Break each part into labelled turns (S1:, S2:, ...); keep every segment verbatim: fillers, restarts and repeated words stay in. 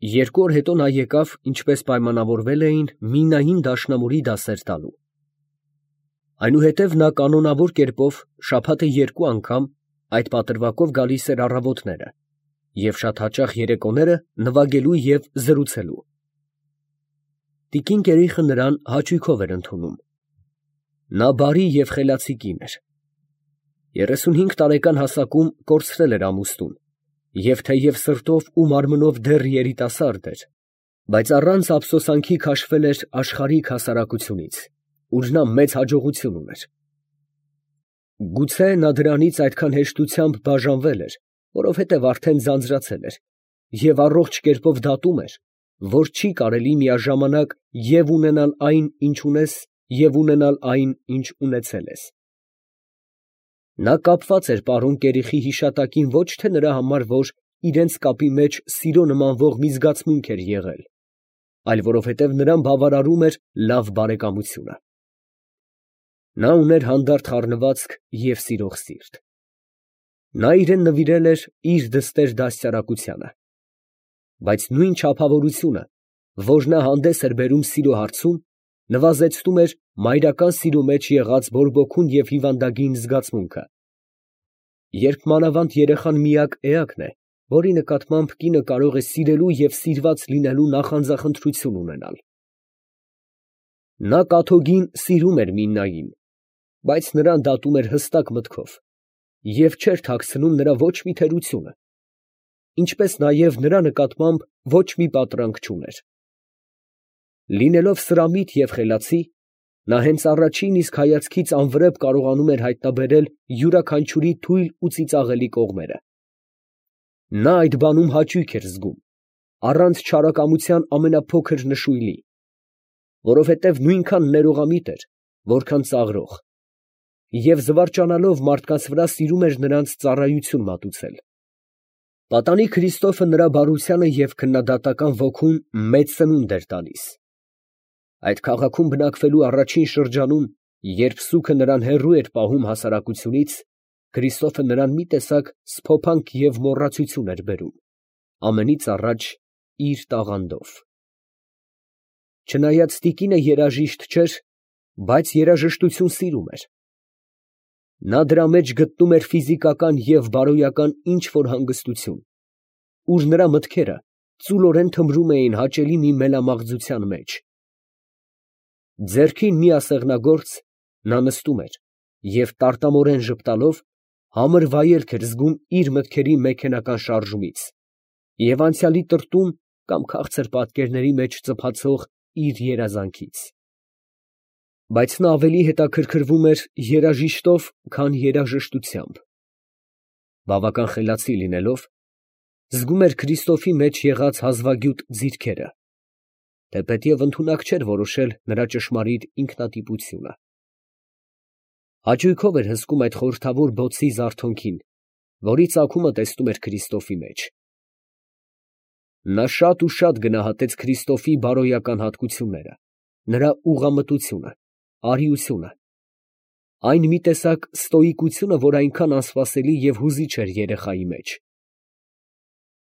S1: Երկու օր հետո նա եկավ, ինչպես պայմանավորվել էին, մինային դաշնամուրի դասեր տալու։ Այնուհետև նա կանոնավոր կերպով շաբաթը երկու անգամ այդ պատրվակով գալիս էր առավոտները և շատ հաճախ երեկոները նվագելու և զրուցելու։ Տիկին Կերիխը նրան հաճույքով էր ընդունում։ Նա բարի և խելացի կին էր։ Երեսունհինգ տարեկան հասակում կորցրել էր ամուսնուն և թեև սրտով ու մարմնով դեռ երիտասարդ էր, բայց առանց ափսոսանքի քաշվել էր աշխարհիկ հասարակությունից, ուր նա մեծ հաջողություն ուներ։ Գուցե նա դրանից այդքան հեշտությամբ բաժանվել էր, որովհետև արդեն ձանձրացել էր և առողջ կերպով դատում էր, որ չի կարելի միաժամանակ և ունենալ այն, ինչ ունես, և ունենալ այն, ինչ ունեցել ես։ Նա կապված էր պարոն Կերիխի հիշատակին ոչ թե նրա համար, որ իրենց կապի մեջ սիրո նմանվող մի զգացմունք էր եղել, այլ որովհետև նրան բավարարում էր լավ բարեկամությունը։ Նա ուներ հանդարտ խառնվածք և սիրող սիրտ։ Նա իրան նվիրել էր իր դստեր դաստիարակությանը, բայց նույն չափավորությունը, որ նա հանդես էր բերում սիրո հարցում, նվազեցնում էր մայրական սիրո մեջ եղած բորբոքուն և հիվանդագին զգացմունքը, երբ մանավանդ երեխան միակ էակն է, որի նկատմամբ կինը կարող է սիրելու և սիրված լինելու նախանձախնդրություն ունենալ։ Նա կաթոգին սիրում էր Միննային, բայց նրան դատում էր հստակ մտքով և չէր թաքցնում նրա ոչ մի թերությունը, ինչպես նաև նրա նկատմամբ ոչ մի պատրանք չուներ։ Լինելով սրամիտ և խելացի, նա հենց առաջին իսկ հայացքից անվրեպ կարողանում էր հայտնաբերել յուրաքանչյուրի թույլ ու ծիծաղելի կողմերը։ Նա այդ բանում հաճույք էր զգում, առանց չարակամության ամենափոքր նշույլի, որովհետև նույնքան ներողամիտ էր, որքան ծաղրող, և զվարճանալով մարդկանց վրա սիրում էր նրանց ծառայություն մատուցել։ Պատանի Քրիստոֆը նրա բարությանը և քննադատական ոգուն մեծ սնունդ էր տալիս։ Այդ քաղաքում բնակվելու առաջին շրջանում, երբ սուգը նրան հեռու էր պահում հասարակությունից, Քրիստոֆը նրան մի տեսակ սփոփանք և մոռացություն էր բերում, ամենից առաջ իր տաղանդով։ Չնայած տիկինը երաժիշտ չէր, բայց երաժշտություն սիրում էր։ Նա դրա մեջ գտնում էր ֆիզիկական և բարոյական ինչ֊որ հանգստություն, ուր նրա մտքերը ծուլորեն թմրում էին հաճելի մի մելամաղձության մեջ։ Ձեռքին մի ասեղնագործ, նա նստում էր և տարտամորեն ժպտալով համր վայելք էր զգում իր մտքերի մեքենական շարժումից և անցյալի տրտում կամ քաղցր պատկերների մեջ ծփացող իր երազանքից։ Բայց նա ավելի հետաքրքրվում էր երաժիշտով, քան երաժշտությամբ։ Բավական խելացի լինելով, զգում էր Քրիստոֆի մեջ եղած հազվագյուտ ձիրքերը, թեպետև ընդունակ չէր որոշել նրա ճշմարիտ ինքնատիպությունը։ Հաճույքով էր հսկում այդ խորհրդավոր բոցի զարթոնքին, որի ծագումը տեսնում էր Քրիստոֆի մեջ։ Նա շատ ու շատ գնահատեց Քրիստոֆի բարոյական հատկությունները, նրա ուղղամտությունը, արիությունը, այն մի տեսակ ստոիկությունը, որ այնքան անսպասելի և հուզիչ էր երեխայի մեջ։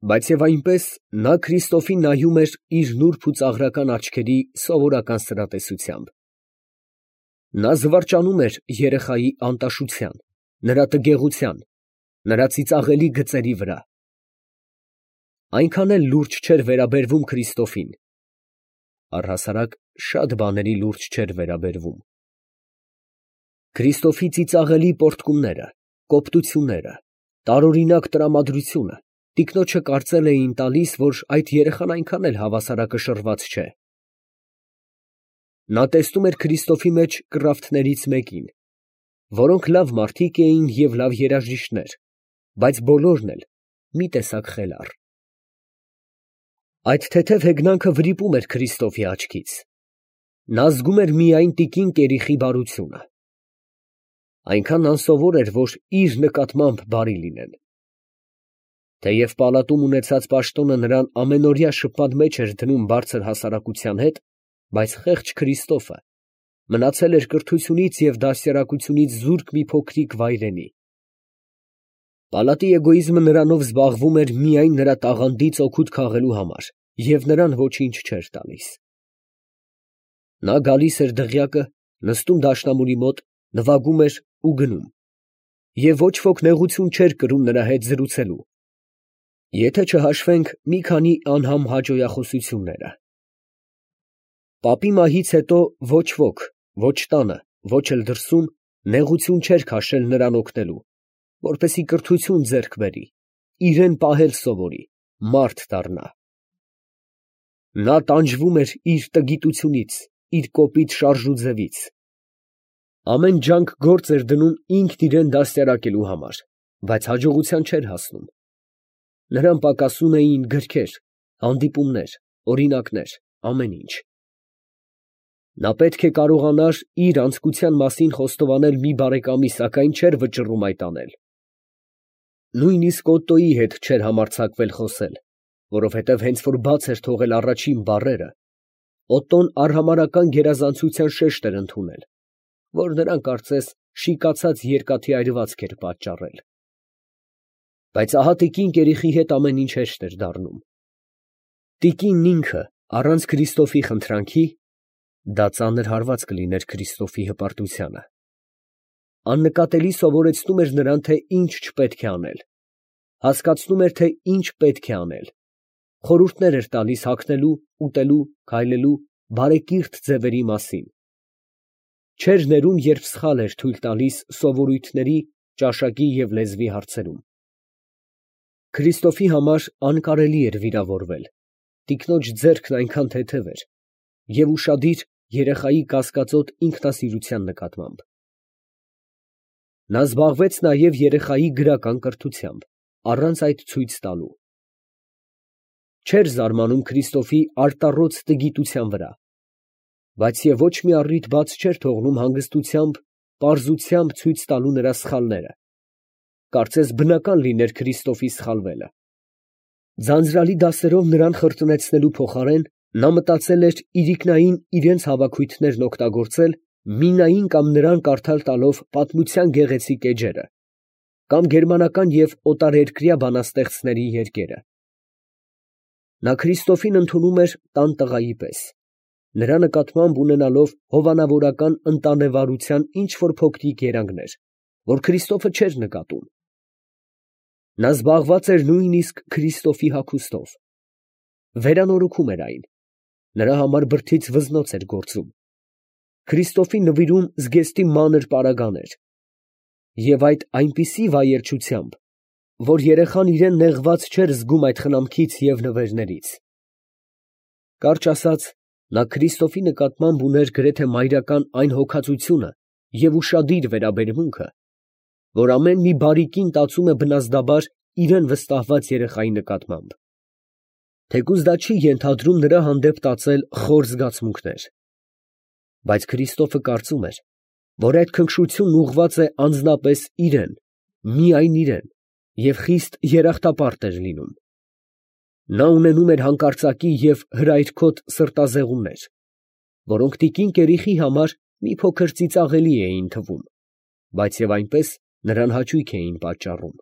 S1: Բայց և այնպես նա Քրիստոֆին նայում էր իր նուրբ ու ծաղրական աչքերի սովորական սրատեսությամբ։ Նա զվարճանում էր երեխայի անտաշության, նրա տգեղության, նրա ծիծաղելի գծերի վրա։ Այնքան էլ լուրջ չէր վերաբերվում Քրիստոֆին, առհասարակ շատ բաների լուրջ չէր վերաբերվում։ Քրիստոֆի ծիծաղելի պոռթկումները, կոպտությունները, տարօրինակ տրամադրությունը տիկնոջը կարծել էին տալիս, որ այդ երեխան այնքան էլ հավասարակշռված չէ։ Նա տեսնում էր Քրիստոֆի մեջ կռավթներից մեկին, որոնք լավ մարդիկ էին և լավ երաժիշտներ, բայց բոլորն էլ մի տեսակ խելառ։ Այդ թեթև հեգնանքը վրիպում էր Քրիստոֆի աչքից։ Նա զգում էր միայն տիկին Կերիխի բարությունը։ Այնքան անսովոր էր, որ իր նկատմամբ բարի լինեն։ Թեև պալատում ունեցած պաշտոնը նրան ամենօրյա շփման մեջ էր դնում բարձր հասարակության հետ, բայց խեղճ Քրիստոֆը մնացել էր կրթությունից և դաստիարակությունից զուրկ մի փոքրիկ վայրենի։ Պալատի էգոիզմը նրանով զբաղվում էր միայն նրա տաղանդից օգուտ քաղելու համար, և նրան ոչինչ չէր տալիս։ Նա գալիս էր դղյակը, նստում դաշնամուրի մոտ, նվագում էր ու գնում, և ոչ ոք նեղություն չէր կրում նրա հետ զրուցելու, եթե չհաշվենք մի քանի անհամ հաճոյախոսությունները։ Պապի մահից հետո ոչ ոք, ոչ տանը, ոչ էլ դրսում, նեղություն չէր քաշել նրան օգնելու, որպեսզի կրթություն ձեռք բերի, իրան պահել սովորի, մարդ դառնա։ Նա տանջվում էր իր տգիտությունից, իր կոպիտ շարժուձևից, ամեն ջանք գործ էր դնում ինքն իրան դաստիարակելու համար, բայց հաջողության չէր հասնում։ Նրան պակասում էին գրքեր, հանդիպումներ, օրինակներ, ամեն ինչ։ Նա պետք է կարողանար իր անձկության մասին խոստովանել մի բարեկամի, սակայն չէր վճռում այդ անել։ Նույնիսկ Օտտոյի հետ չէր համարձակվել խոսել, որովհետև հենց որ բաց էր թողել առաջին բառերը, Օտտոն արհամարհական գերազանցության շեշտ էր ընդունել, որ նրան կարծես շիկացած երկաթի այրվածք էր պատճառել։ Բայց ահա տիկին Կերիխի հետ ամեն ինչ հեշտ էր դառնում։ Տիկինն ինքը, առանց Քրիստոֆի խնդրանքի (դա ծանր հարված կլիներ Քրիստոֆի հպարտությանը), աննկատելի սովորեցնում էր նրան, թե ինչ չպետք է անել, հասկացնում էր, թե ինչ պետք է անել, խորհուրդներ էր տալիս հագնելու, ուտելու, քայլելու, բարեկիրթ ձևերի մասին։ Չէր ներում, երբ սխալ էր թույլ տալիս սովորույթների, ճաշակի և լեզվի հարցերում։ Քրիստոֆի համար անկարելի էր վիրավորվել, տիկնոջ ձեռքն այնքան թեթև էր և ուշադիր երեխայի կասկածոտ ինքնասիրության նկատմամբ։ Նա զբաղվեց նաև երեխայի գրական կրթությամբ, առանց այդ ցույց տալու։ Չէր զարմանում Քրիստոֆի արտառոց տգիտության վրա, բայց և ոչ մի առիթ բաց չէր թողնում հանգստությամբ, պարզությամբ ցույց տալու նրա սխալները, կարծես բնական լիներ Քրիստոֆի սխալվելը։ Ձանձրալի դասերով նրան խրտնեցնելու փոխարեն, նա մտածել էր իրիկնային իրենց հավաքույթներն օգտագործել Մինային կամ նրան կարդալ տալով պատմության գեղեցիկ էջերը, կամ գերմանական և օտարերկրյա բանաստեղծների երկերը։ Նա Քրիստոֆին ընդունում էր տան տղայի պես, նրա նկատմամբ ունենալով հովանավորական ընտանեվարության ինչ֊որ փոքրիկ երանգներ, որ Քրիստոֆը չէր նկատում։ Նա զբաղված էր նույնիսկ Քրիստոֆի հագուստով, վերանորոգում էր այն, նրա համար բրդից վզնոց էր գործում, Քրիստոֆին նվիրում զգեստի մանր պարագաներ, և այդ այնպիսի վայելչությամբ, որ երեխան իրան նեղված չէր զգում այդ խնամքից և նվերներից։ Կարճ ասած, նա Քրիստոֆի նկատմամբ ուներ գրեթե մայրական այն հոգածությունը և ուշադիր վերաբերմունքը, որ ամեն մի բարի կին տածում է բնազդաբար իրան վստահված երեխայի նկատմամբ, թեկուզ դա չի ենթադրում նրա հանդեպ տածել խոր զգացմունքներ։ Բայց Քրիստոֆը կարծում էր, որ այդ քնքշությունն ուղղված է անձնապես իրան, միայն իրան, և խիստ երախտապարտ էր լինում։ Նա ունենում էր հանկարծակի և հրայրքոտ սրտազեղումներ, որոնք տիկին Կերիխի համար մի փոքր ծիծաղելի էին թվում, բայց և այնպես նրան հաճույք էին պատճառում։